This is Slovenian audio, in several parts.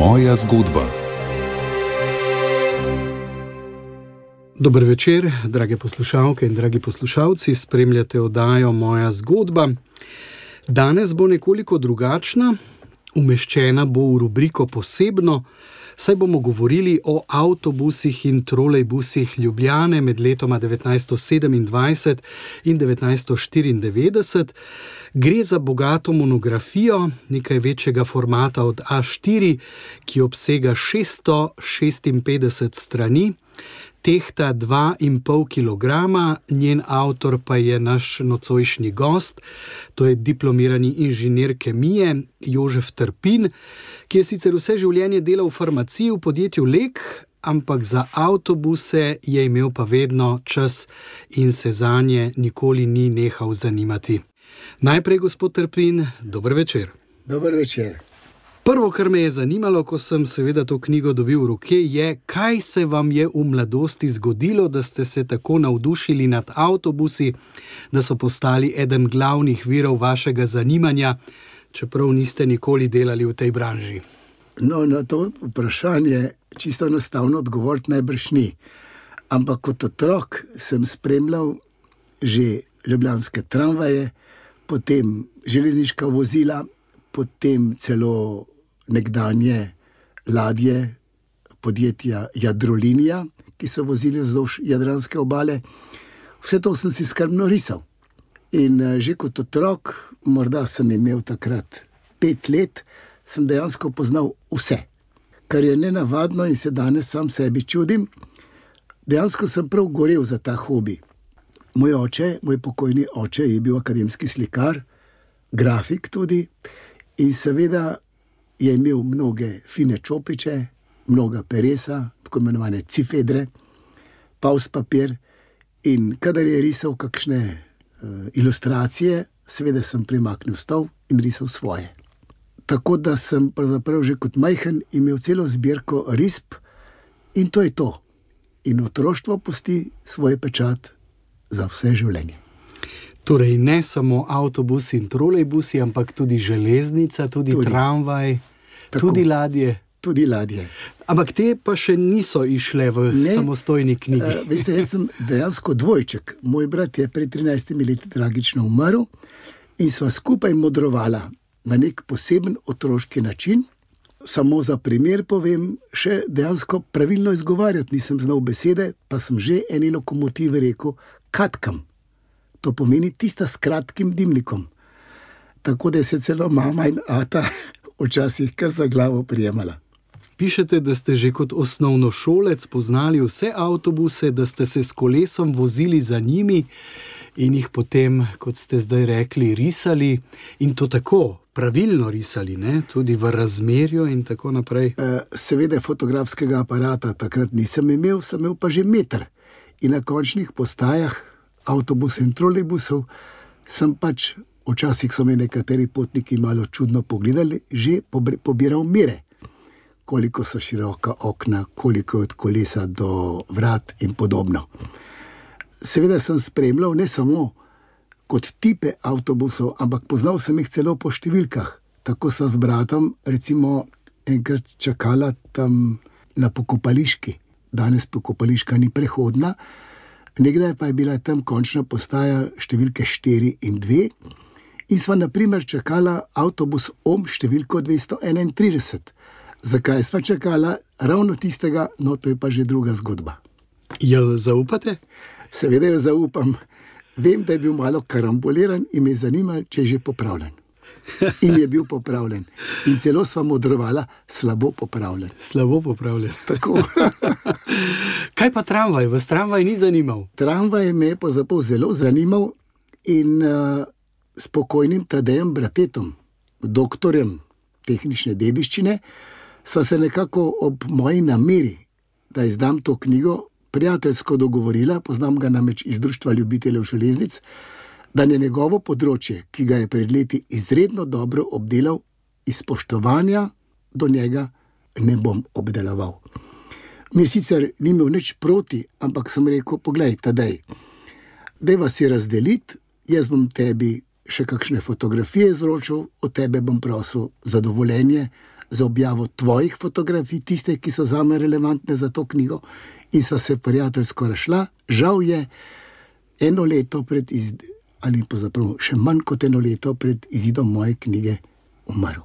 Moja zgodba. Dober večer, drage poslušalke in dragi poslušalci, spremljate oddajo Moja zgodba. Danes bo nekoliko drugačna, umeščena bo v rubriko Posebno, saj bomo govorili o avtobusih in trolejbusih Ljubljane med letoma 1927 in 1994. Gre za bogato monografijo, nekaj večjega formata od A4, ki obsega 656 strani, tehta 2,5 kilograma, njen avtor pa je naš nocojšnji gost, to je diplomirani inženir kemije Jožef Trpin, ki je sicer vse življenje delal v farmaciji v podjetju Lek, ampak za avtobuse je imel pa vedno čas in se zanje nikoli ni nehal zanimati. Najprej, gospod Trpin, dober večer. Dober večer. Prvo, kar me je zanimalo, ko sem seveda to knjigo dobil v roke, je, kaj se vam je v mladosti zgodilo, da ste se tako navdušili nad avtobusi, da so postali eden glavnih virov vašega zanimanja, čeprav niste nikoli delali v tej branži. No, na to vprašanje čisto enostavno odgovoriti najbrž ni. Ampak kot otrok sem spremljal že ljubljanske tramvaje, potem železniška vozila, potem celo nekdanje ladje podjetja Jadrolinija, ki so vozili vzdolž Jadranske obale. Vse to sem si skrbno risal. In že kot otrok, morda sem imel takrat 5 let, sem dejansko poznal vse. Kar je nenavadno in se danes sam sebi čudim, dejansko sem prav gorel za ta hobi. Moj pokojni oče je bil akademski slikar, grafik tudi, in seveda je imel mnoge fine čopiče, mnoga peresa, tako imenovane cifedre, paus papir, in kadar je risal kakšne ilustracije, seveda sem premaknil stol in risal svoje. Tako da sem pravzaprav že kot majhen imel celo zbirko risb in to je to. In otroštvo pusti svoj pečat za vse življenje. Torej ne samo avtobusi in trolejbusi, ampak tudi železnica, tudi tramvaj, Tako. tudi ladje. Tudi ladje. Ampak te pa še niso išle v samostojni knjigi. Veste, jaz sem dejansko dvojček. Moj brat je pred 13 leti tragično umrl in sva skupaj modrovala na nek poseben otroški način. Samo za primer povem, še dejansko pravilno izgovarjati nisem znal besede, pa sem že eni lokomotivi rekel katkam. To pomeni tista s kratkim dimnikom. Tako da se celo mama in ata včasih kar za glavo prijemala. Pišete, da ste že kot osnovnošolec poznali vse avtobuse, da ste se s kolesom vozili za njimi in jih potem, kot ste zdaj rekli, risali in to tako pravilno risali, ne? Tudi v razmerju in tako naprej. Seveda fotografskega aparata takrat nisem imel, sem imel pa že meter. In na končnih postajah avtobusov in trolejbusov sem pač, včasih so me nekateri potniki malo čudno pogledali, že pobiral mere. Koliko so široka okna, koliko je od kolesa do vrat in podobno. Seveda sem spremljal ne samo kot tipe avtobusov, ampak poznal sem jih celo po številkah. Tako so z bratom recimo enkrat čakala tam na Pokopališki. Danes Pokopališka ni prehodna, nekdaj pa je bila tam končna postaja številke 4 in 2 in sva na primer čakala avtobus številko 231. Zakaj sva čakala ravno tistega, no to je pa že druga zgodba. Jo zaupate? Seveda jo zaupam. Vem, da je bil malo karamboliran in me zanima, če je že popravljen. In je bil popravljen. In celo sva modrovala, slabo popravljen. Slabo popravljen. Tako. Kaj pa tramvaj? Vas tramvaj ni zanimal? Tramvaj me je pa zelo zanimal in s pokojnim Tadejem Bratetom, doktorjem tehnične dediščine, sva se nekako ob moji nameri, da izdam to knjigo, prijateljsko dogovorila, poznam ga namreč iz Društva ljubiteljev železnic, da je njegovo področje, ki ga je pred leti izredno dobro obdelal, iz spoštovanja do njega ne bom obdeloval. Mi sicer ni imel nič proti, ampak sem rekel, poglej, Tadej, dajva si razdeliti, jaz bom tebi še kakšne fotografije izročil, od tebe bom prosil za dovoljenje za objavo tvojih fotografij, tiste, ki so zame relevantne za to knjigo, in sva se prijateljsko razšla. Žal je eno leto ali pa zapravo še manj kot eno leto pred izidom moje knjige umrl.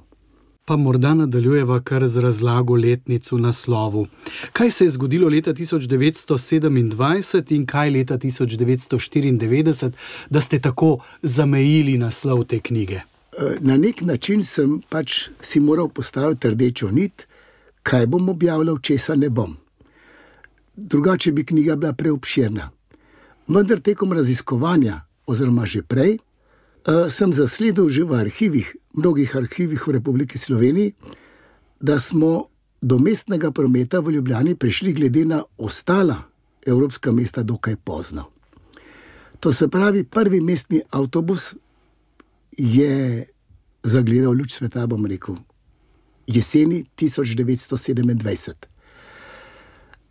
Pa morda nadaljujeva kar z razlago letnic v naslovu. Kaj se je zgodilo leta 1927 in kaj leta 1994, da ste tako zamejili naslov te knjige? Na nek način sem si moral postaviti rdečo nit, kaj bom objavljal, česa ne bom. Drugače bi knjiga bila preobširna. Vendar tekom raziskovanja, oziroma že prej, sem zasledil že v arhivih, mnogih arhivih v Republiki Sloveniji, da smo do mestnega prometa v Ljubljani prišli glede na ostala evropska mesta dokaj pozno. To se pravi, prvi mestni avtobus je zagledal luč sveta, bom rekel, jeseni 1927.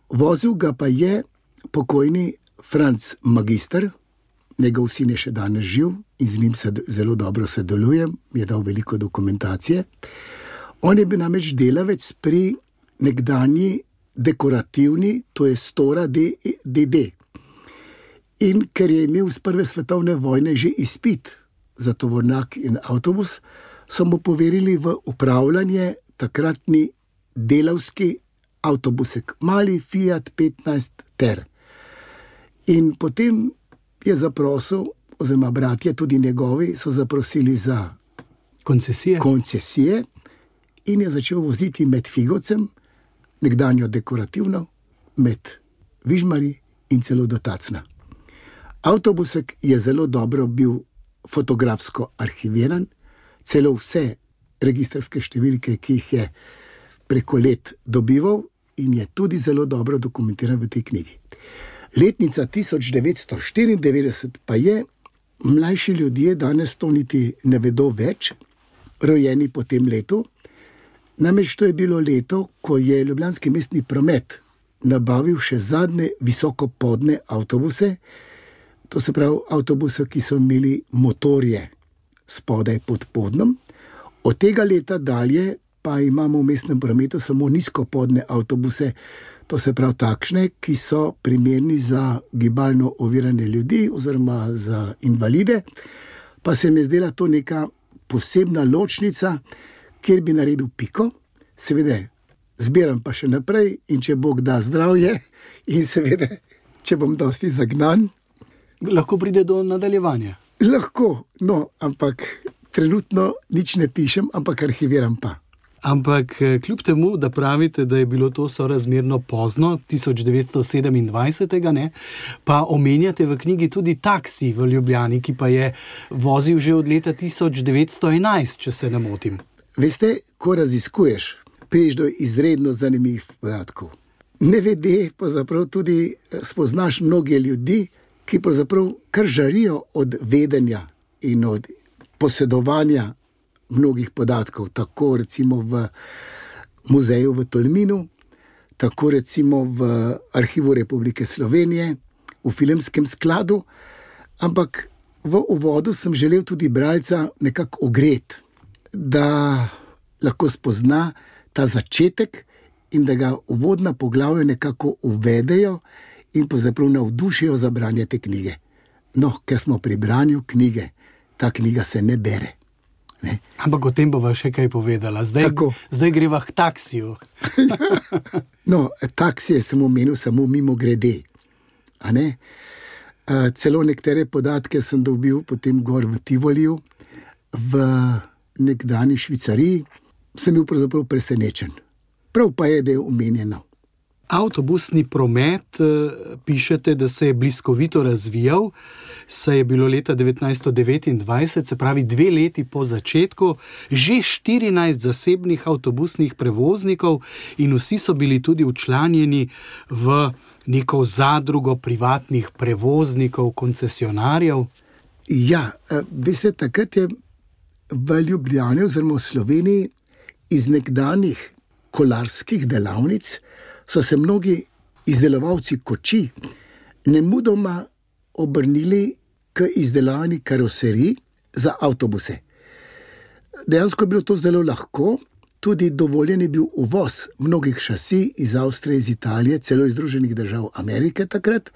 Vozil ga pa je pokojni Franc Magister, njegov sin je še danes živ in z njim se zelo dobro sodelujem, mi je dal veliko dokumentacije. On je bil namreč delavec pri nekdanji dekorativni, to je Stora DD. In ker je imel z prve svetovne vojne že izpit za tovornjak in avtobus, so mu poverili v upravljanje takratni delavski avtobusek, mali Fiat 15 Ter. In potem je zaprosil, oziroma bratje, tudi njegovi, so zaprosili za koncesije in je začel voziti med Figovcem, nekdanjo dekorativno, med Vižmari in celo do Tacna. Avtobusek je zelo dobro bil fotografsko arhiviran, celo vse registrske številke, ki jih je preko let dobival, in je tudi zelo dobro dokumentiran v tej knjigi. Letnica 1994 pa je, mlajši ljudje danes to niti ne vedo več, rojeni po tem letu. Namreč to je bilo leto, ko je Ljubljanski mestni promet nabavil še zadnje visokopodne avtobuse, to se pravi avtobuse, ki so imeli motorje spodaj pod podnom. Od tega leta dalje pa imamo v mestnem prometu samo nizkopodne avtobuse, to se pravi takšne, ki so primerni za gibalno ovirane ljudi oziroma za invalide, pa se mi je zdela to neka posebna ločnica, kjer bi naredil piko, seveda zbiram pa še naprej in če Bog da zdravje in seveda, če bom dosti zagnan. Lahko pride do nadaljevanja. Lahko, no, ampak trenutno nič ne pišem, ampak arhiviram pa. Ampak kljub temu, da pravite, da je bilo to sorazmerno pozno, 1927, ne, pa omenjate v knjigi tudi taksi v Ljubljani, ki pa je vozil že od leta 1911, če se ne motim. Veste, ko raziskuješ, priješ do izredno zanimivih podatkov. Nevede pa zaprav tudi spoznaš mnoge ljudi, ki pravzaprav kar žarijo od vedenja in od posedovanja mnogih podatkov, tako recimo v muzeju v Tolminu, tako recimo v Arhivu Republike Slovenije, v Filmskem skladu, ampak v uvodu sem želel tudi bralca nekako ogreti, da lahko spozna ta začetek in da ga uvodna poglavja nekako uvedejo in pravzaprav navdušijo za branje te knjige. No, ker smo pri branju knjige, ta knjiga se ne bere. Ne? Ampak o tem bova še kaj povedala. Zdaj greva k taksiju. No, taksije sem omenil samo mimo grede. A ne? Celo nekatere podatke sem dobil potem gor v Tivoliju, v nekdani Švicariji. Sem bil pravzaprav presenečen. Prav pa je, da je omenjeno. Avtobusni promet, pišete, da se je bliskovito razvijal, saj je bilo leta 1929, se pravi 2 leti po začetku, že 14 zasebnih avtobusnih prevoznikov in vsi so bili tudi včlanjeni v neko zadrugo privatnih prevoznikov, koncesionarjev. Ja, veste, takrat je v Ljubljani oziroma v Sloveniji iz nekdanjih kolarskih delavnic so se mnogi izdelovalci koči nemudoma obrnili k izdelavanju karoserij za avtobuse. Dejansko je bilo to zelo lahko tudi dovoljen je bil uvoz mnogih šasi iz Avstrije, iz Italije, celo iz Združenih držav Amerike takrat.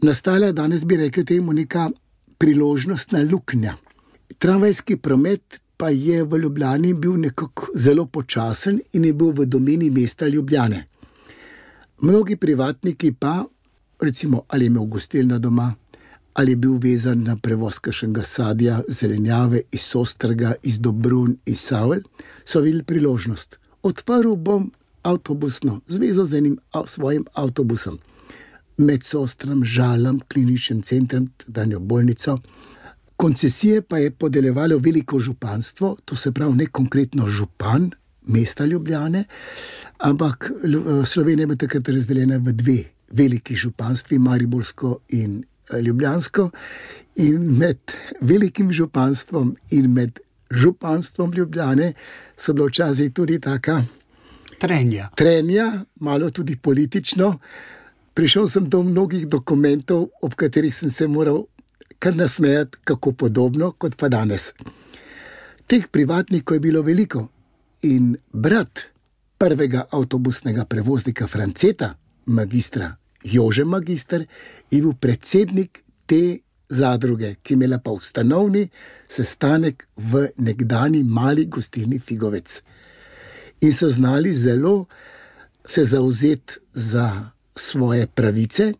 Nastala je, danes bi rekli temu, neka priložnostna luknja. Tramvajski promet pa je v Ljubljani bil nekako zelo počasen in je bil v domeni mesta Ljubljane. Mnogi privatniki pa, recimo, ali je imel gostilno doma, ali je bil vezan na prevoz kakšnega sadja, zelenjave iz Sostrga, iz Dobrun, iz Savelj, so videli priložnost. Odprl bom avtobusno zvezo z enim svojim avtobusom. Med Sostrom, Žalom, kliničnim centrom, danjo bolnico. Koncesije pa je podeljevalo veliko županstvo, to se pravi ne konkretno župan mesta Ljubljane, ampak Slovenija je takrat razdeljena v dve veliki županstvi, mariborsko in ljubljansko, in med velikim županstvom in med županstvom Ljubljane so bilo včasih tudi taka trenja, malo tudi politično. Prišel sem do mnogih dokumentov, ob katerih sem se moral kar nasmejati, kako podobno kot pa danes. Teh privatnikov je bilo veliko in brat prvega avtobusnega prevoznika Franceta, magistra Jože Magister, je bil predsednik te zadruge, ki je imela pa ustanovni sestanek v nekdani mali gostilni Figovec. In so znali zelo se zavzeti za svoje pravice.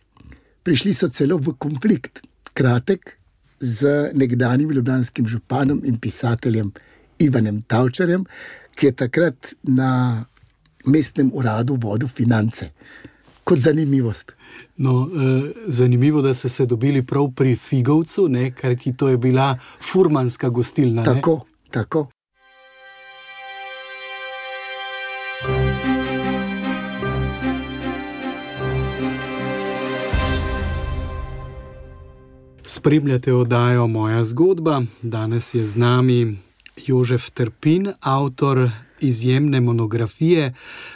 Prišli so celo v konflikt, kratek, z nekdanjim ljubljanskim županom in pisateljem Ivanem Tavčarjem, ki je takrat na mestnem uradu vodil finance. Kot zanimivost. No, zanimivo, da so se dobili prav pri Figovcu, ne, ker to je bila furmanska gostilna. Tako, tako. Spremljate oddajo Moja zgodba. Danes je z nami Jožef Trpin, avtor izjemne monografije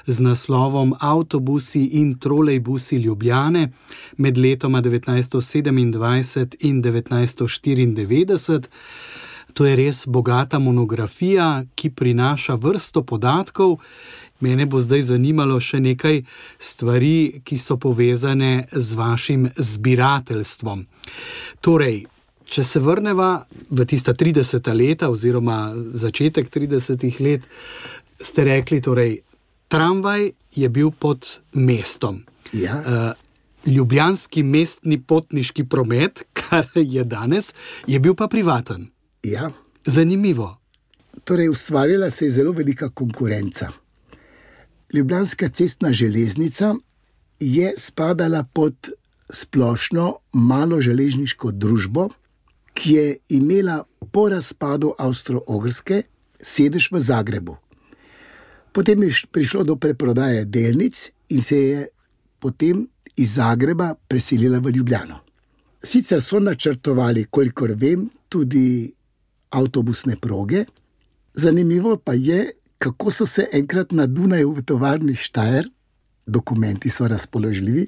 z naslovom Avtobusi in trolejbusi Ljubljane med letoma 1927 in 1994. To je res bogata monografija, ki prinaša vrsto podatkov. Mene bo zdaj zanimalo še nekaj stvari, ki so povezane z vašim zbirateljstvom. Torej, če se vrneva v tista 30. leta oziroma začetek 30. let, ste rekli, torej, tramvaj je bil pod mestom. Ja. Ljubljanski mestni potniški promet, kar je danes, je bil pa privaten. Ja. Zanimivo. Torej, ustvarjala se je zelo velika konkurenca. Ljubljanska cestna železnica je spadala pod splošno malo železniško družbo, ki je imela po razpadu Avstro-Ogrske sedež v Zagrebu. Potem je prišlo do preprodaje delnic in se je potem iz Zagreba preselila v Ljubljano. Sicer so načrtovali, kolikor vem, tudi avtobusne proge. Zanimivo pa je, kako so se enkrat na Dunaju v tovarni Štajer, dokumenti so razpoložljivi,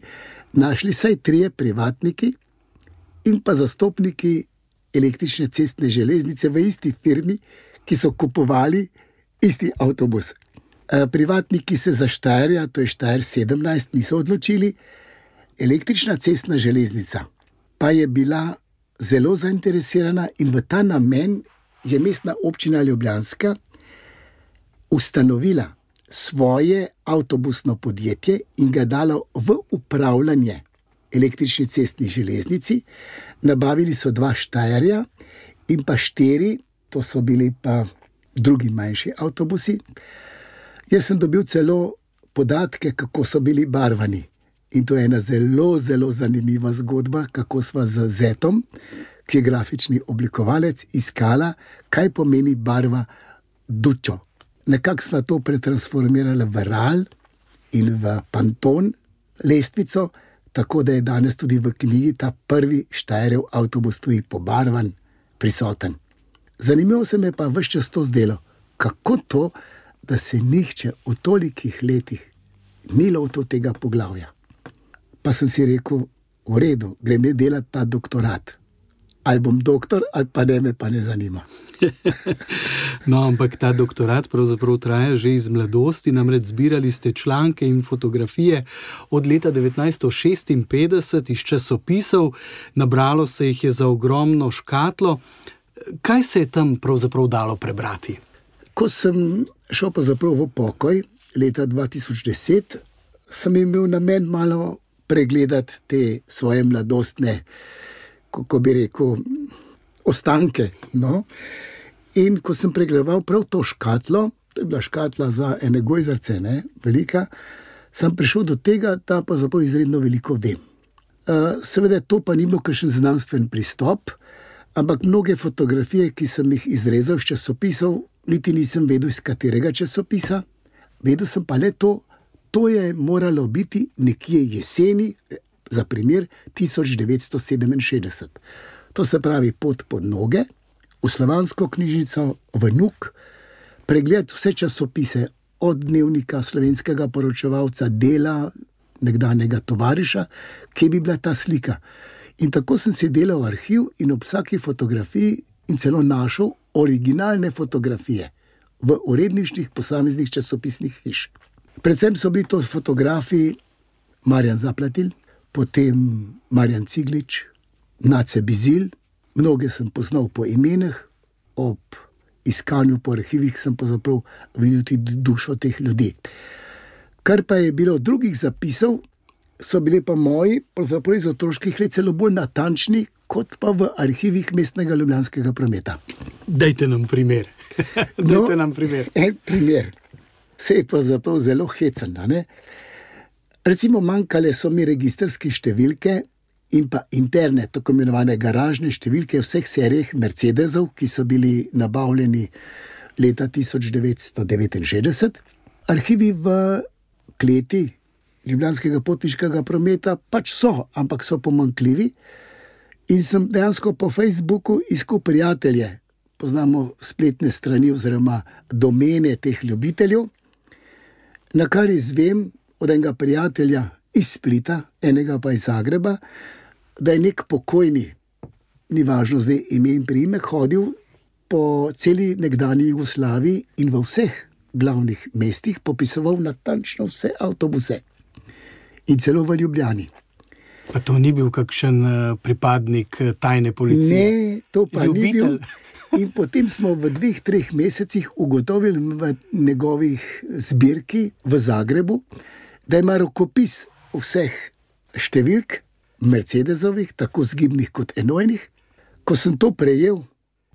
našli vsaj 3 privatniki in pa zastopniki električne cestne železnice v isti firmi, ki so kupovali isti avtobus. Privatniki se za Štajerja, to je Štajer 17, niso odločili. Električna cestna železnica pa je bila zelo zainteresirana in v ta namen je mestna občina Ljubljanska ustanovila svoje avtobusno podjetje in ga dalo v upravljanje električni cestni železnici. Nabavili so 2 Štajerja in pa 4, to so bili pa drugi manjši avtobusi. Jaz sem dobil celo podatke, kako so bili barvani. In to je ena zelo, zelo zanimiva zgodba, kako sva z Zetom, ki je grafični oblikovalec, iskala, kaj pomeni barva Dučo. Nekako sva to pretransformirala v RAL in v Panton lestvico, tako da je danes tudi v knjigi ta prvi Štajerjev avtobus tudi pobarvan, prisoten. Zanimivo se me pa ves čas to zdelo, kako to, da se nihče v tolikih letih ni lotil tega poglavja. Pa sem si rekel, v redu, grem delati ta doktorat. ali bom doktor, ali pa ne, me pa ne zanima. No, ampak ta doktorat pravzaprav traja že iz mladosti, namreč zbirali ste članke in fotografije od leta 1956 iz časopisov, nabralo se jih je za ogromno škatlo. Kaj se je tam pravzaprav dalo prebrati? Ko sem šel pravzaprav v pokoj leta 2010, sem imel namen malo pregledati te svoje mladostne, kako bi rekel, ostanke. No? In ko sem pregledoval prav to škatlo, to je bila škatla za ene gojzarce, velika, sem prišel do tega, da pa zapravo izredno veliko vem. Seveda to pa ni bil kakšen znanstven pristop, ampak mnoge fotografije, ki sem jih izrezal iz časopisov, niti nisem vedel, iz katerega časopisa. Vedel sem pa le to je moralo biti nekje jeseni, za primer 1967. To se pravi pot pod noge, v Slovansko knjižnico, v NUK, pregled vse časopise, od Dnevnika, Slovenskega poročevalca, Dela, nekdanjega Tovariša, kje bi bila ta slika. In tako sem si delal arhiv in ob vsaki fotografiji in celo našel originalne fotografije v uredniških posameznih časopisnih hiš. Predvsem so bili to fotografiji Marjan Zaplatil, potem Marjan Ciglič, Nace Bizil, mnoge sem poznal po imenah, ob iskanju po arhivih sem pravzaprav videl tudi dušo teh ljudi. Kar pa je bilo drugih zapisov, so bili pa moji, pravzaprav iz otroških let, celo bolj natančni, kot pa v arhivih mestnega ljubljanskega prometa. Dajte nam primer. Dajte nam primer. En primer. Se je pravzaprav zelo hecen, ne? Recimo manjkale so mi registrske številke in pa interne, tako imenovane garažne številke vseh serijah Mercedesov, ki so bili nabavljeni leta 1969. Arhivi v kleti ljubljanskega potniškega prometa pač so, ampak so pomanjkljivi. In sem dejansko po Facebooku iskal prijatelje, poznamo spletne strani oziroma domene teh ljubiteljev, na kar izvem od enega prijatelja iz Splita, enega pa iz Zagreba, da je nek pokojni, ni važno zdaj ime in priimek, hodil po celi nekdanji Jugoslaviji in v vseh glavnih mestih popisoval natančno vse avtobuse. In celo v Ljubljani. Pa to ni bil kakšen pripadnik tajne policije? Ne, to pa ljubitelj. Ni bil. In potem smo v 2-3 mesecih ugotovili v njegovih zbirki v Zagrebu, da ima rokopis vseh številk Mercedesovih, tako zgibnih kot enojnih. Ko sem to prejel,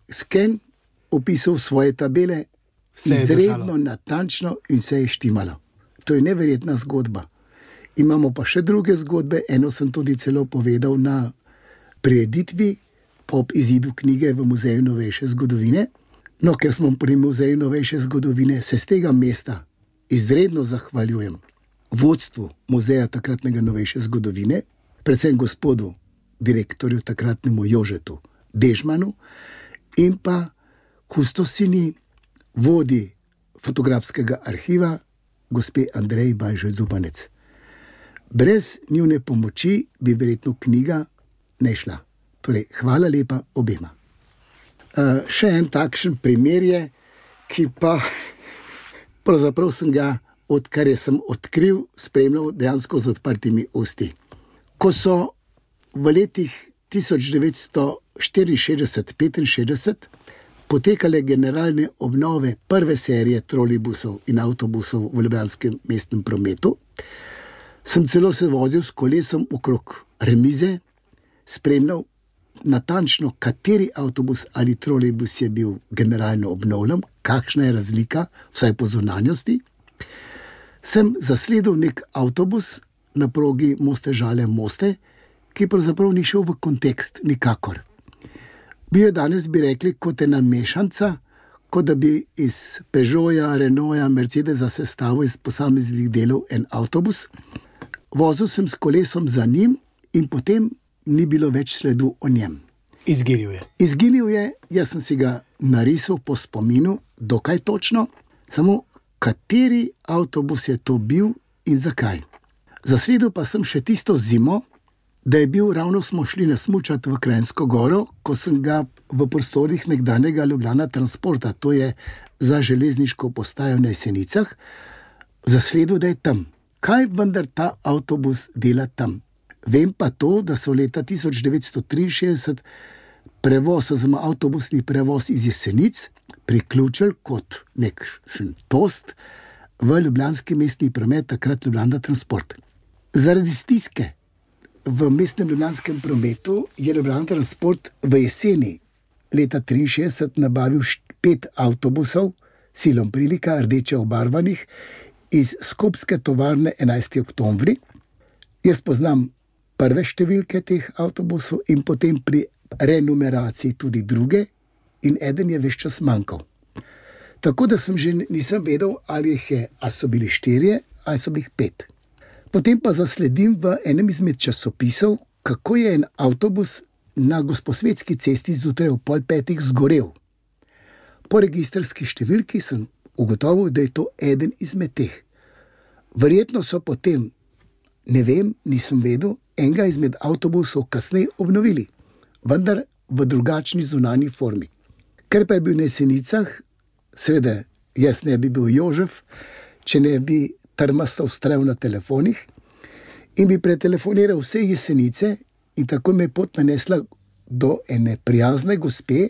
sken, opisal svoje tabele, izredno natančno in vse je štimalo. To je neverjetna zgodba. Imamo pa še druge zgodbe, eno sem tudi celo povedal na prireditvi ob izidu knjige v Muzeju novejše zgodovine. No, ker smo pri Muzeju novejše zgodovine, se z tega mesta izredno zahvaljujem vodstvu muzeja takratnega novejše zgodovine, predvsem gospodu direktorju takratnemu Jožetu Dežmanu in pa kustosini vodi fotografskega arhiva gospe Andreji Bajžoj Zupanec. Brez njune pomoči bi verjetno knjiga ne šla. Torej, hvala lepa obema. Še en takšen primer je, ki pa pravzaprav sem ga, odkar sem odkril, spremljal dejansko z odprtimi usti. Ko so v letih 1964-65 potekale generalne obnove prve serije trolejbusov in avtobusov v ljubljanskem mestnem prometu, sem celo se vozil s kolesom okrog remize, spremljal natančno, kateri avtobus ali trolejbus je bil generalno obnovljen, kakšna je razlika, vsaj po zunanjosti. Sem zasledil nek avtobus na progi Moste-Žale-Moste, ki pravzaprav ni šel v kontekst nikakor. Bil je danes, bi rekli, kot ena mešanca, kot da bi iz Peugeota, Renaulta, Mercedesa sestavil iz posameznih delov en avtobus. Vozil sem s kolesom za njim in potem ni bilo več sledu o njem. Izginil je. Izginil je, jaz sem si ga narisal po spominu, dokaj točno, samo kateri avtobus je to bil in zakaj. Zasledil pa sem še tisto zimo da je bil, ravno smo šli nasmučati v Kranjsko goro, ko sem ga v prostorih nekdanjega Ljubljana Transporta, to je za železniško postajo na Jesenicah, zasledil, da je tam. Kaj vendar ta avtobus dela tam? Vem pa to, da so leta 1963 prevoz, oziroma avtobusni prevoz iz Jesenic priključili kot nekšen tost v ljubljanski mestni promet, takrat Ljubljana Transport. Zaradi stiske v mestnem ljubljanskem prometu je Ljubljana Transport v jeseni leta 1963 nabavil 5 avtobusov silom prilika, rdeče obarvanih, iz skupske tovarne 11. oktobri. Jaz poznam prve številke teh avtobusov in potem pri renumeraciji tudi druge in eden je ves čas manjkal. Tako da sem že nisem vedel, ali jih je, ali so bili 4, ali so bili 5. Potem pa zasledim v enem izmed časopisov, kako je en avtobus na Gosposvetski cesti zjutraj ob 4:30 zgorel. Po registrski številki sem ugotovil, da je to eden izmed teh. Verjetno so potem, ne vem, nisem vedel, enega izmed avtobusov kasneje obnovili, vendar v drugačni zunanji formi. Ker pa je bil na Jesenicah, seveda jaz ne bi bil Jožef, če ne bi trmasto vztrajal na telefonih in bi pretelefoniral vse Jesenice in tako me pot nanesla do ene prijazne gospe,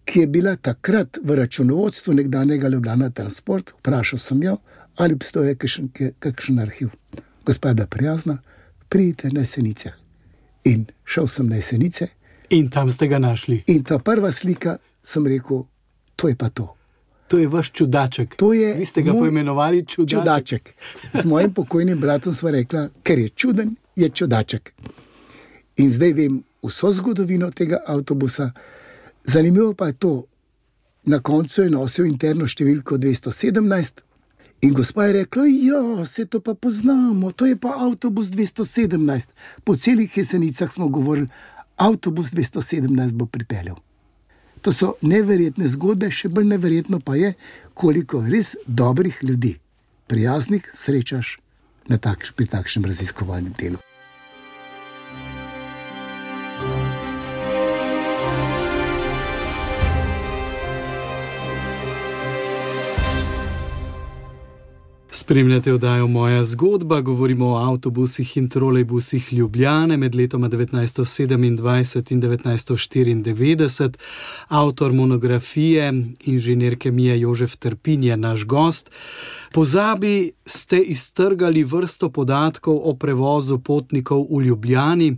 ki je bila takrat v računovodstvu nekdanjega Ljubljana Transport. Vprašal sem jo, ali obstoje kakšen arhiv. Gospa je bila prijazna, pridite na Jesenice. In šel sem na Jesenice. In tam ste ga našli. In ta prva slika, sem rekel, to je pa to. To je vaš čudaček. Vi ste ga poimenovali čudaček. S mojim pokojnim bratom sva rekla, ker je čuden, je čudaček. In zdaj vem vso zgodovino tega avtobusa. Zanimivo pa je to, na koncu je nosil interno številko 217 in gospa je rekla, ja, se to pa poznamo, to je pa avtobus 217. Po celih Jesenicah smo govorili, avtobus 217 bo pripeljal. To so neverjetne zgodbe, še bolj neverjetno pa je, koliko res dobrih ljudi, prijaznih, srečaš pri takšnem raziskovalnem delu. Spremljate oddajo Moja zgodba, govorimo o avtobusih in trolejbusih Ljubljane med letoma 1927 in 1994. Avtor monografije, inženir kemije Jožef Trpin je naš gost. Pozabi ste iztrgali vrsto podatkov o prevozu potnikov v Ljubljani.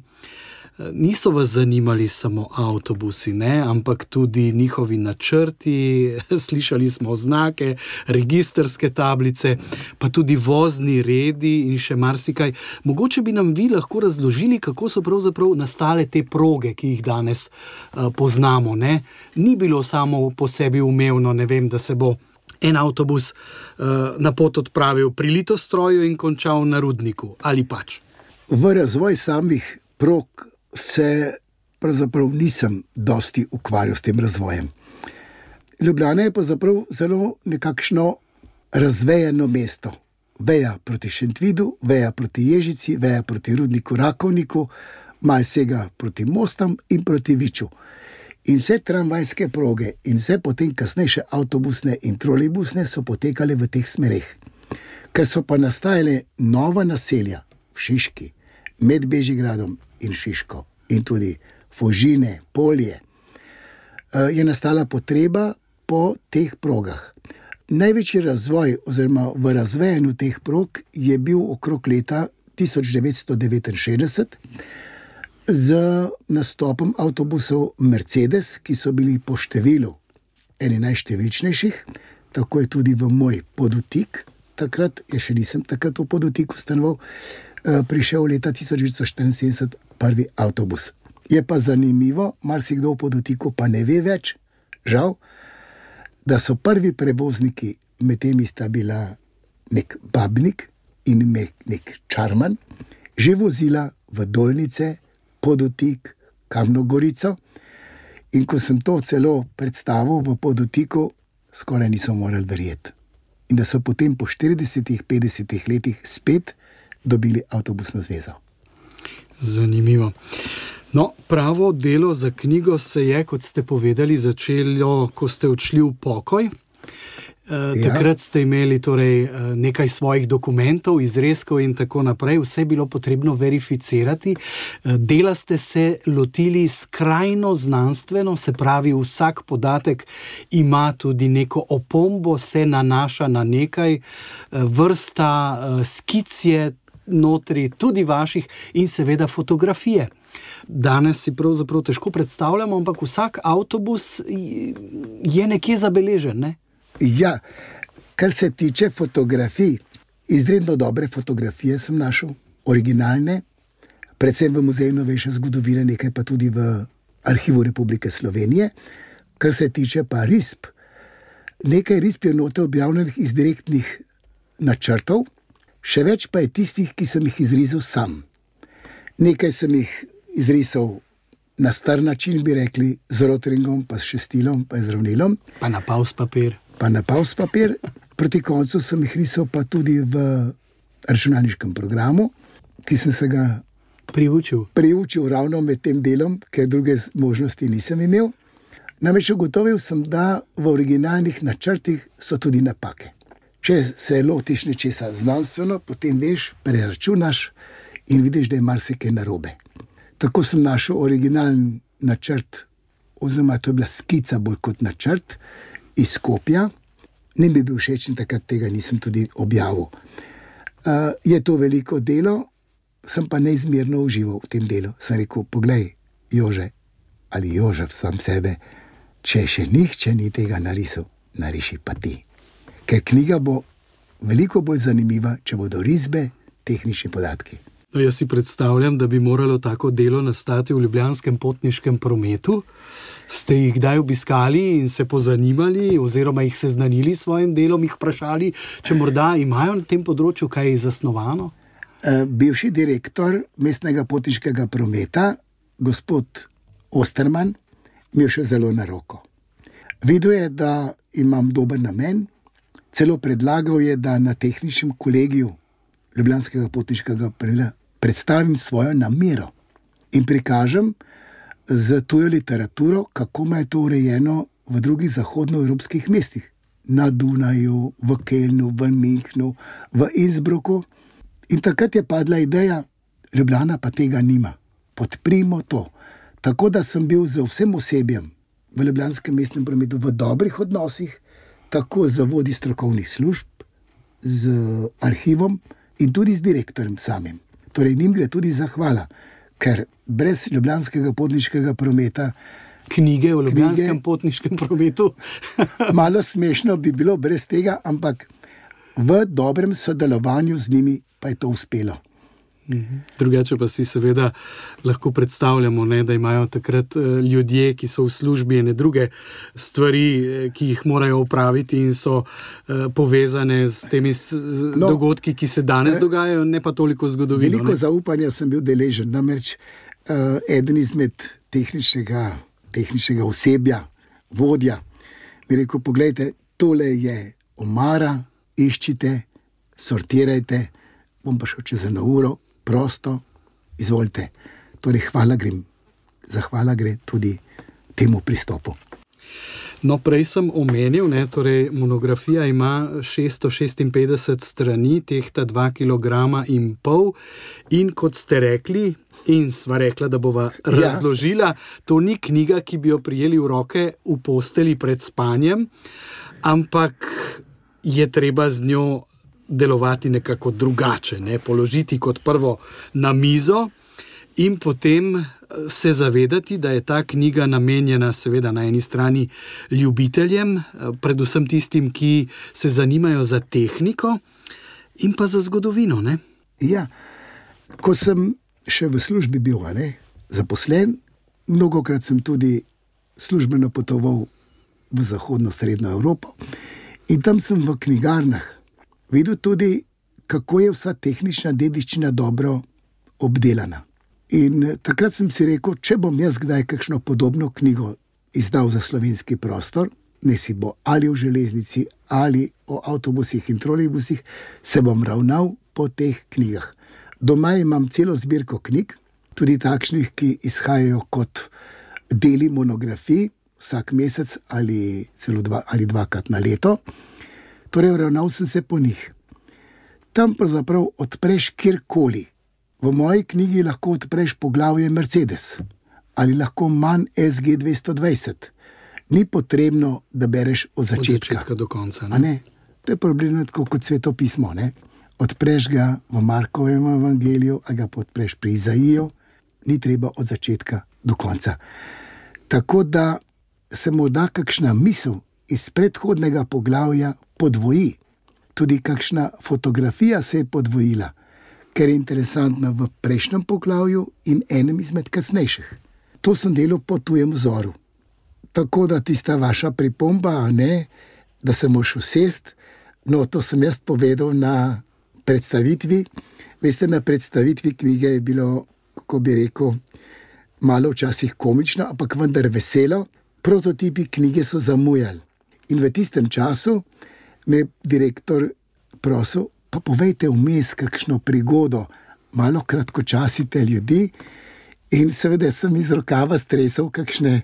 Niso vas zanimali samo avtobusi, ne? Ampak tudi njihovi načrti, slišali smo znake, registrske tablice, pa tudi vozni redi in še marsikaj. Mogoče bi nam vi lahko razložili, kako so pravzaprav nastale te proge, ki jih danes poznamo, ne? Ni bilo samo po sebi umevno, ne vem, da se bo en avtobus na pot odpravil pri Litostroju in končal na Rudniku, ali pač? V razvoj samih prog se pravzaprav nisem dosti ukvarjal s tem razvojem. Ljubljana je pravzaprav zelo nekakšno razvejeno mesto. Veja proti Šentvidu, veja proti Ježici, veja proti Rudniku, Rakovniku, malo sega proti Mostam in proti Viču. In vse tramvajske proge in vse potem kasnejše avtobusne in trolejbusne so potekale v teh smereh. Ker so pa nastajale nova naselja v Šiški, med Bežigradom in Šiško in tudi Fužine, Polje, je nastala potreba po teh progah. Največji razvoj oziroma v razvejanju teh prog je bil okrog leta 1969 z nastopom avtobusov Mercedes, ki so bili po številu eni najštevilčnejših, tako je tudi v moj Podutik, takrat, jaz še nisem takrat v Podutiku stanoval, prišel leta 1974 prvi avtobus. Je pa zanimivo, marsikdo v Podutiku pa ne ve več, žal, da so prvi prevozniki, med temi sta bila nek Babnik in nek Čarman, že vozila v Dolnice, Podutik, Kamno Gorico. In ko sem to celo predstavil v Podutiku, skoraj niso morali verjeti. In da so potem po 40-50 letih spet dobili avtobusno zvezo. Zanimivo. No, pravo delo za knjigo se je, kot ste povedali, začelo, ko ste odšli v pokoj. Takrat ste imeli torej nekaj svojih dokumentov, izrezkov in tako naprej. Vse je bilo potrebno verificirati. Dela ste se lotili skrajno znanstveno, se pravi, vsak podatek ima tudi neko opombo, se nanaša na nekaj, vrsta skic je notri, tudi vaših in seveda fotografije. Danes si pravzaprav težko predstavljamo, ampak vsak avtobus je nekje zabeležen, ne? Ja, kar se tiče fotografij, izredno dobre fotografije sem našel, originalne, predvsem v Muzeju novejše zgodovine, nekaj pa tudi v Arhivu Republike Slovenije. Kar se tiče pa risb, nekaj risb je note objavljenih iz direktnih načrtov, še več pa je tistih, ki sem jih izrisal sam. Nekaj sem jih izrisal na star način, bi rekli, z rotringom, pa s šestilom, pa z ravnilom. Pa na pavs papir. Proti koncu sem jih risal pa tudi v računalniškem programu, ki sem se ga priučil ravno med tem delom, ker druge možnosti nisem imel. Namreč ugotovil sem, da v originalnih načrtih so tudi napake. Če se lotiš nečesa znanstveno, potem veš, preračunaš in vidiš, da je marsikaj narobe. Tako sem našel originalni načrt, oziroma to je bila skica bolj kot načrt, iz Skopja. Ne bi bil všeč in takrat tega nisem tudi objavil. Je to veliko delo, sem pa neizmerno užival v tem delu. Sem rekel, poglej, Jože, ali Jožef sam sebe, če še nihče ni tega narisal, nariši pa ti. Ker knjiga bo veliko bolj zanimiva, če bodo risbe, tehnični podatki. No, jaz si predstavljam, da bi moralo tako delo nastati v ljubljanskem potniškem prometu. Ste jih kdaj obiskali in se pozanimali oziroma jih seznanili s svojim delom, jih vprašali, če morda imajo na tem področju kaj zasnovano? Bivši direktor mestnega potniškega prometa, gospod Osterman, mi je šel zelo na roko. Videl je, da imam dober namen, celo predlagal je, da na tehničnem kolegiju ljubljanskega potniškega prometa predstavim svojo namero in prikažem z tujo literaturo, kako ima to urejeno v drugih zahodnoevropskih mestih. Na Dunaju, v Kelnu, v Münchnu, v Innsbrucku. In takrat je padla ideja, Ljubljana pa tega nima. Podprimo to. Tako da sem bil z vsem osebjem v ljubljanskem mestnem prometu v dobrih odnosih, tako z vodji strokovnih služb, z arhivom in tudi z direktorjem samim. Torej, njim gre tudi zahvala, ker brez ljubljanskega potniškega prometa... Knjige o ljubljanskem potniškem prometu. Malo smešno bi bilo brez tega, ampak v dobrem sodelovanju z njimi pa je to uspelo. Drugače pa si seveda lahko predstavljamo, ne, da imajo takrat ljudje, ki so v službi, ene druge stvari, ki jih morajo opraviti in so povezane s temi dogodki, ki se danes dogajajo, ne pa toliko zgodovino. Veliko zaupanja sem bil deležen, namreč eden izmed tehničnega osebja, vodja, mi rekel, poglejte, tole je omara, iščite, sortirajte, bom pa šel čez 1 uro, prosto, izvolite. Torej, zahvala gre tudi temu pristopu. No, prej sem omenil, ne, torej monografija ima 656 strani, tehta 2,5 kilograma in kot ste rekli, in sva rekla, da bova razložila, to ni knjiga, ki bi jo prijeli v roke v posteli pred spanjem, ampak je treba z njo delovati nekako drugače, ne? Položiti kot prvo na mizo in potem se zavedati, da je ta knjiga namenjena seveda na eni strani ljubiteljem, predvsem tistim, ki se zanimajo za tehniko in pa za zgodovino, ne? Ja, ko sem še v službi bil, zaposlen, mnogokrat sem tudi službeno potoval v zahodno srednjo Evropo in tam sem v knjigarnah videl tudi, kako je vsa tehnična dediščina dobro obdelana. In takrat sem si rekel, če bom jaz kdaj kakšno podobno knjigo izdal za slovenski prostor, ne si bo ali o železnici, ali o avtobusih in trolejbusih, se bom ravnal po teh knjigah. Doma imam celo zbirko knjig, tudi takšnih, ki izhajajo kot deli monografij vsak mesec ali celo dvakrat na leto. Torej, ravnal sem se po njih. Tam pravzaprav odpreš kjerkoli. V moji knjigi lahko odpreš poglavje Mercedes ali lahko manj SG 220. Ni potrebno, da bereš od začetka do konca. Ne? To je približno tako kot svetopismo. Ne? Odpreš ga v Markovem evangeliju ali ga odpreš pri Izaiju, ni treba od začetka do konca. Tako da se morda kakšna misel iz predhodnega poglavja podvoji. Tudi kakšna fotografija se je podvojila, ker je interesantna v prejšnjem poglavju in enem izmed kasnejših. To sem delal po tujem vzoru. Tako da tista vaša pripomba, da se moraš usest, to sem jaz povedal na predstavitvi. Veste, na predstavitvi knjige je bilo, kako bi rekel, malo včasih komično, ampak vendar veselo. Prototipi knjige so zamujali. In v tistem času me direktor prosil, pa povejte vmes kakšno prigodo, malo kratkočasite ljudi. In seveda sem iz rokava stresal kakšne,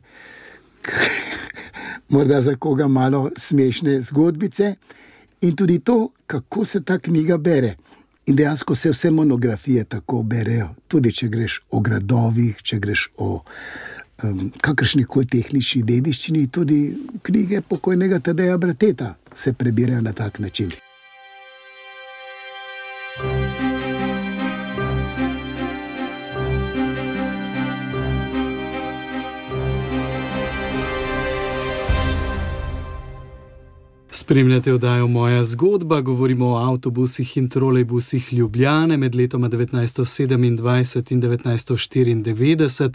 morda za koga malo smešne zgodbice. In tudi to, kako se ta knjiga bere. In dejansko se vse monografije tako berejo. Tudi če greš o gradovih, če greš o kakršnikoli tehnični dediščini, tudi knjige pokojnega Tadeja Brateta se prebirajo na tak način. Spremljate oddajo Moja zgodba, govorimo o avtobusih in trolejbusih Ljubljane med letoma 1927 in 1994.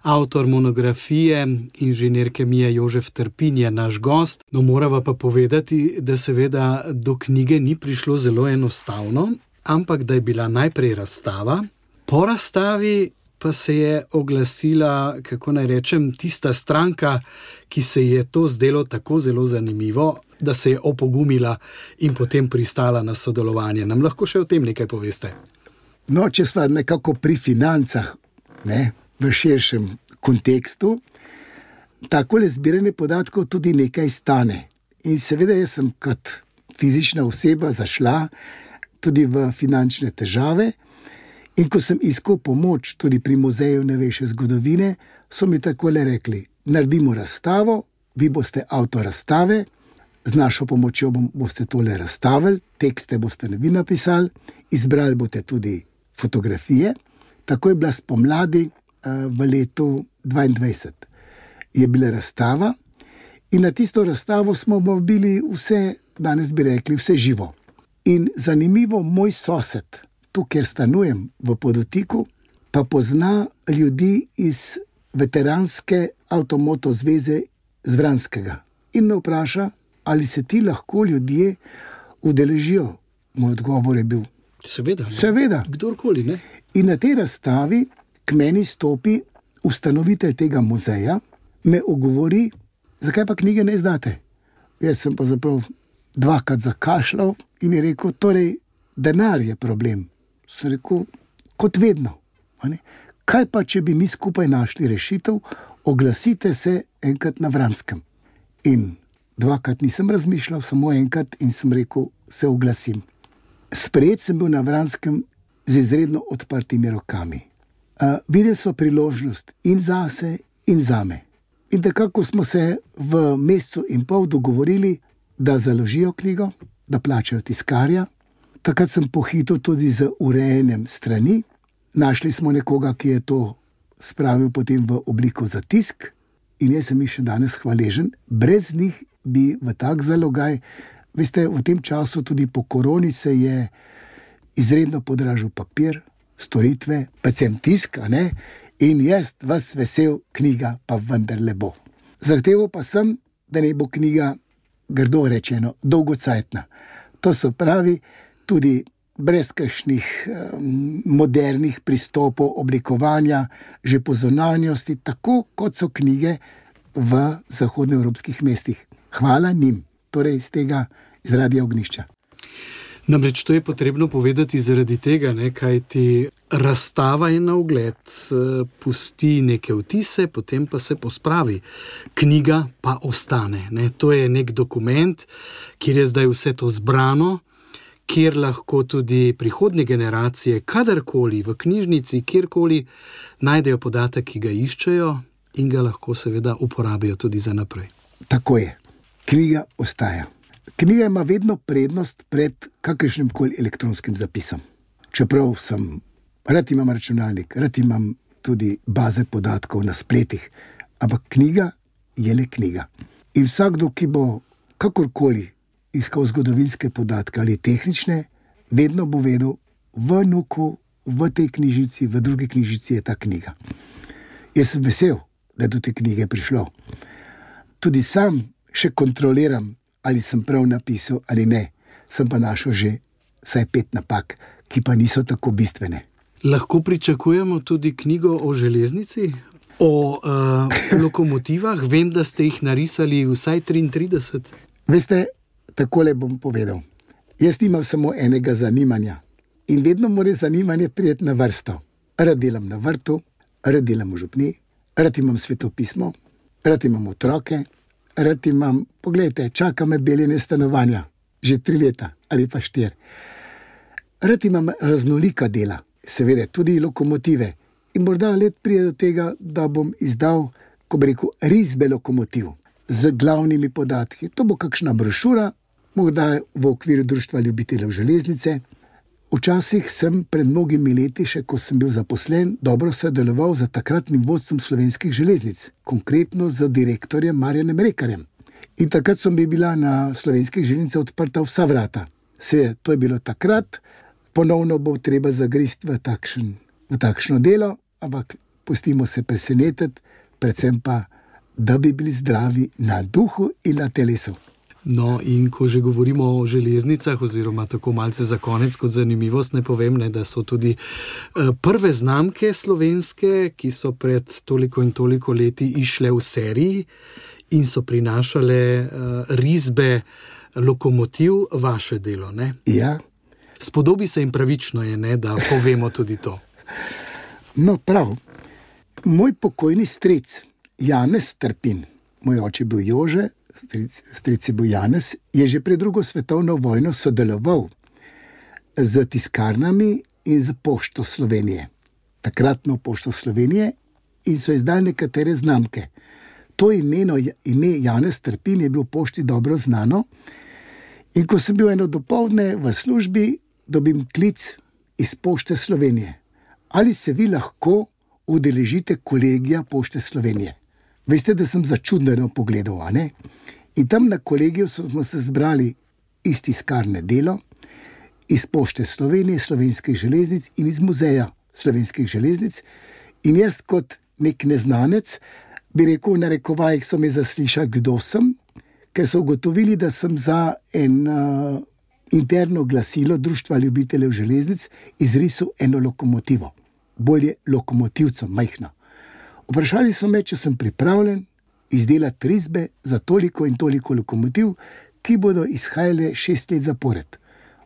Avtor monografije, inženir kemije Jožef Trpin je naš gost. Morava pa povedati, da seveda do knjige ni prišlo zelo enostavno, ampak da je bila najprej razstava. Po razstavi pa se je oglasila, kako naj rečem, tista stranka, ki se je to zdelo tako zelo zanimivo, da se je opogumila in potem pristala na sodelovanje. Nam lahko še o tem nekaj poveste? Če sva nekako pri financah, v širšem kontekstu, takole zbiranje podatkov tudi nekaj stane. In seveda jaz sem kot fizična oseba zašla tudi v finančne težave. In ko sem iskal pomoč tudi pri Muzeju novejše zgodovine, so mi takole rekli, naredimo razstavo, vi boste avtor razstave, z našo pomočjo boste tole razstavili, tekste boste vi napisali, izbrali boste tudi fotografije. Tako je bila spomladi v letu 2022. Je bila razstava in na tisto razstavo smo bili vse, danes bi rekli, vse živo. In zanimivo, moj sosed, tu, kjer stanujem v Podotiku, pa pozna ljudi iz veteranske avtomoto zveze z Vranskega. In me vpraša, ali se ti lahko ljudje udeležijo. Moj odgovor je bil, seveda. Kdorkoli, ne? In na tej razstavi k meni stopi ustanovitelj tega muzeja, me ogovori, zakaj pa knjige ne izdate. Jaz sem pa zaprav dvakrat zakašljal in je rekel, torej, denar je problem. Sem rekel, kot vedno. Kaj pa, če bi mi skupaj našli rešitev, oglasite se enkrat na Vranskem. In dvakrat nisem razmišljal, samo enkrat in sem rekel, se oglasim. Sprejet sem bil na Vranskem z izredno odprtimi rokami. Videli so priložnost in zase in zame. In takako smo se v mesecu in pol dogovorili, da založijo knjigo, da plačajo tiskarja. Takrat sem pohitel tudi z urejenjem strani. Našli smo nekoga, ki je to spravil potem v obliko za tisk in jaz sem jih še danes hvaležen. Brez njih bi v tak zalogaj, veste, v tem času tudi po koroni se je izredno podražil papir, storitve, predvsem tisk, in jaz vas vesel, knjiga pa vendarle bo. Zahteval pa sem, da ne bo knjiga, grdo rečeno, dolgocajtna. To se pravi, tudi brez kakšnih modernih pristopov oblikovanja, že po zunanjosti, tako kot so knjige v zahodnoevropskih mestih. Hvala njim, torej iz tega iz Radia Ognjišča. Namreč to je potrebno povedati zaradi tega, kajti Razstava je na ogled, pusti neke vtise, potem pa se pospravi. Knjiga pa ostane. Ne? To je nek dokument, kjer je zdaj vse to zbrano, kjer lahko tudi prihodnje generacije, kadarkoli v knjižnici, kjerkoli najdejo podatek, ki ga iščejo in ga lahko seveda uporabijo tudi za naprej. Tako je. Knjiga ostaja. Knjiga ima vedno prednost pred kakršnim koli elektronskim zapisom. Čeprav rad imam računalnik, rad imam tudi baze podatkov na spletih, ampak knjiga je le knjiga. In vsakdo, ki bo kakorkoli iskal zgodovinske podatke ali tehnične, vedno bo vedel, v Nuku, v tej knjižici, v drugi knjižici je ta knjiga. Jaz sem vesel, da je do te knjige prišlo. Tudi sam še kontroliram, ali sem prav napisal ali ne. Sem pa našel že vsaj 5 napak, ki pa niso tako bistvene. Lahko pričakujemo tudi knjigo o železnici, o lokomotivah. Vem, da ste jih narisali vsaj 33. Veste, takole bom povedal. Jaz nimam samo enega zanimanja in vedno mora zanimanje priti na vrsto. Rad delam na vrtu, rad delam v župni, rad imam svetopismo, rad imam otroke, rad imam, poglejte, čaka me beljenje stanovanja, že 3 leta ali pa 4. Rad imam raznolika dela, seveda tudi lokomotive. In morda let pride do tega, da bom izdal, ko bi rekel, risbe lokomotiv z glavnimi podatki. To bo kakšna brošura, morda v okviru Društva ljubiteljev železnice. Včasih sem pred mnogimi leti, še ko sem bil zaposlen, dobro sodeloval z takratnim vodstvom Slovenskih železnic, konkretno z direktorjem Marjanem Rekarjem. In takrat so mi bila na Slovenskih železnicah odprta vsa vrata. To je bilo takrat, ponovno bo treba zagristi v takšno delo, ampak pustimo se presenetiti, predvsem pa, da bi bili zdravi na duhu in na telesu. No, in ko že govorimo o železnicah, oziroma tako malce za konec kot zanimivost, ne povem, da so tudi prve znamke slovenske, ki so pred toliko in toliko leti išle v seriji in so prinašale risbe lokomotiv, vaše delo, ne? Ja. Spodobi se in pravično je, ne, da povemo tudi to. No, prav. Moj pokojni stric, Janez Trpin, moj oče bil Jože, stric je bil Janez, je že pred 2. svetovno vojno sodeloval z tiskarnami in z Pošto Slovenije. Takratno Pošto Slovenije, in so izdali nekatere znamke. To ime Janez Trpin je bil Pošti dobro znano. In ko sem bil eno dopoldne v službi, dobim klic iz Pošte Slovenije. Ali se vi lahko udeležite kolegija Pošte Slovenije? Veste, da sem začudeno pogledal, a ne? In tam na kolegiju smo se zbrali iz tiskarne Delo, iz Pošte Slovenije, Slovenskih železnic in iz Muzeja Slovenskih železnic. In jaz kot nek neznanec, bi rekel, v narekovajih so me zaslišali, kdo sem, ker so ugotovili, da sem za interno glasilo Društva ljubiteljev železnic izrisal eno lokomotivo. Bolje lokomotivco, majhno. Vprašali so me, če sem pripravljen izdelati risbe za toliko in toliko lokomotiv, ki bodo izhajale 6 let zapored.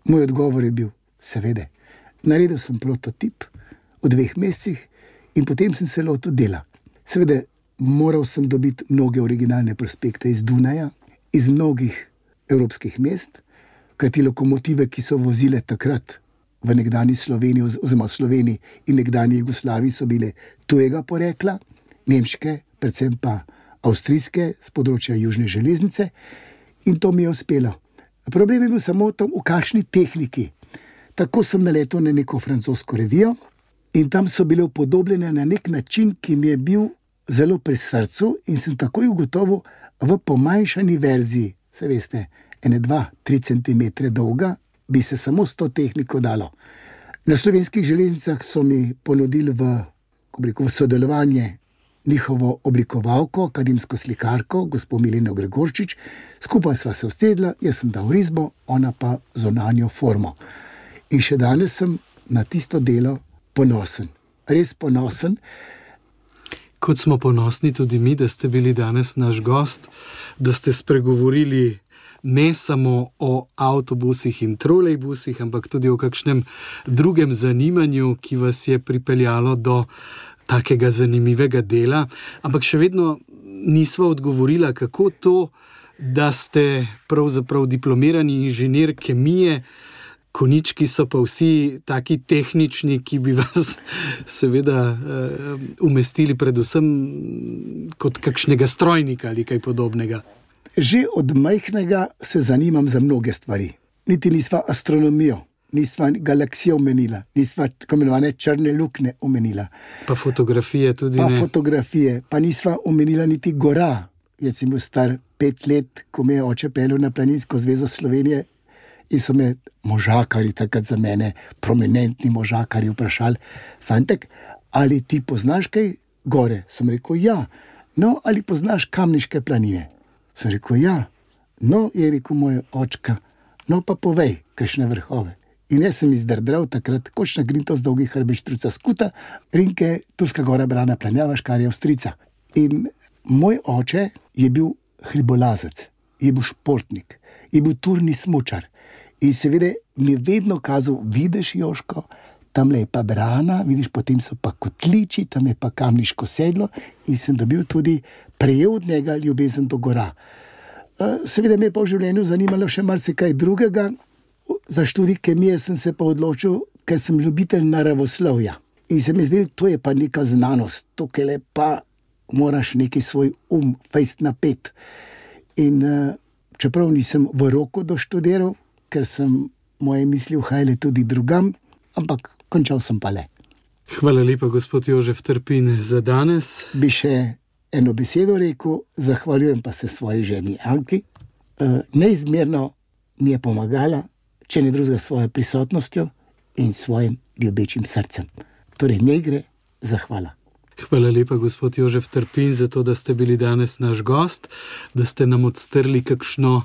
Moj odgovor je bil, seveda. Naredil sem prototip v 2 mesecih in potem sem se lotil dela. Seveda, moral sem dobiti mnoge originalne prospekte iz Dunaja, iz mnogih evropskih mest, kajti lokomotive, ki so vozile takrat v nekdanji Sloveniji, oziroma Sloveniji in nekdanji Jugoslaviji, so bile tujega porekla, nemške, predvsem pa avstrijske, z področja južne železnice, in to mi je uspelo. Problem je bil samo v kakšni tehniki. Tako sem naletel na neko francosko revijo in tam so bile upodobljene na nek način, ki mi je bil zelo pri srcu, in sem takoj ugotovil, v pomanjšani verziji, se veste, 2-3 cm dolga, bi se samo s to tehniko dalo. Na Slovenskih železnicah so mi ponudili v sodelovanje njihovo oblikovalko, akademsko slikarko, gospo Mileno Gregorčič. Skupaj sva se usedla, jaz sem dal risbo, ona pa zunanjo formo. In še danes sem na tisto delo ponosen. Res ponosen. Kot smo ponosni tudi mi, da ste bili danes naš gost, da ste spregovorili ne samo o avtobusih in trolejbusih, ampak tudi o kakšnem drugem zanimanju, ki vas je pripeljalo do takega zanimivega dela. Ampak še vedno nisva odgovorila, kako to, da ste pravzaprav diplomirani inženir kemije, konjički so pa vsi taki tehnični, ki bi vas seveda umestili predvsem kot kakšnega strojnika ali kaj podobnega. Že od majhnega se zanimam za mnoge stvari. Niti nisva astronomijo, nisva galaksijo omenila, nisva tako imenovane črne luknje omenila. Pa fotografije tudi ne. Pa fotografije, pa nisva omenila niti gora. Jaz sem bil star 5 let, ko me je oče peljal na Planinsko zvezo Slovenije in so me možakari, takrat za mene prominentni možakari, vprašali: fantek, ali ti poznaš kaj gore? Sem rekel, ja. No, ali poznaš Kamniške planine? Sem rekel, ja. No, je rekel moj očka, no pa povej, kakšne vrhove. In jaz sem izdrdral takrat Kočna Grintos, Dolgi Hrbe, Štruca Skuta, Rinke, Turska gora, Brana, Planjava, Škarje, Avstrica. In moj oče je bil hribolazec, je bil športnik, je bil turni smučar. In seveda mi je vedno kazal, vidiš, Joško, tamle je pa Brana, vidiš, potem so pa Kotliči, tam je pa Kamniško sedlo, in sem dobil tudi, prejel od njega ljubezen do gora. Seveda me je pa v življenju zanimalo še marsikaj drugega. Za študij kemije sem se pa odločil, ker sem ljubitelj naravoslovja. In se mi zdelo, to je pa neka znanost, tukaj le pa moraš neki svoj fejst napet. In čeprav nisem v roku doštudiral, ker sem moje misli uhajale tudi drugam, ampak končal sem pa le. Hvala lepa, gospod Jožef Trpin, za danes. Bi še eno besedo rekel, zahvaljujem pa se svoji ženi Anki. Neizmerno mi je pomagala, če ne drugega, svojo prisotnostjo in svojim ljubečim srcem. Torej, ne gre, zahvala. Hvala lepa, gospod Jožef Trpin, za to, da ste bili danes naš gost, da ste nam odstrli kakšno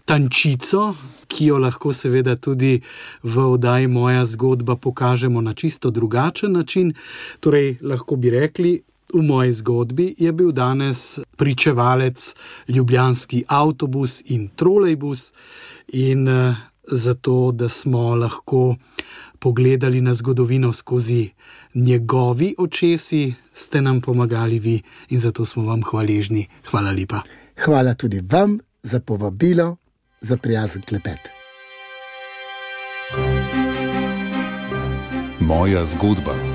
tančico, ki jo lahko seveda tudi v oddaji Moja zgodba pokažemo na čisto drugačen način. Torej, lahko bi rekli, v moji zgodbi je bil danes pričevalec ljubljanski avtobus in trolejbus, in zato, da smo lahko pogledali na zgodovino skozi njegovi očesi, ste nam pomagali vi in zato smo vam hvaležni. Hvala lepa. Hvala tudi vam za povabilo, za prijazen klepet. Moja zgodba.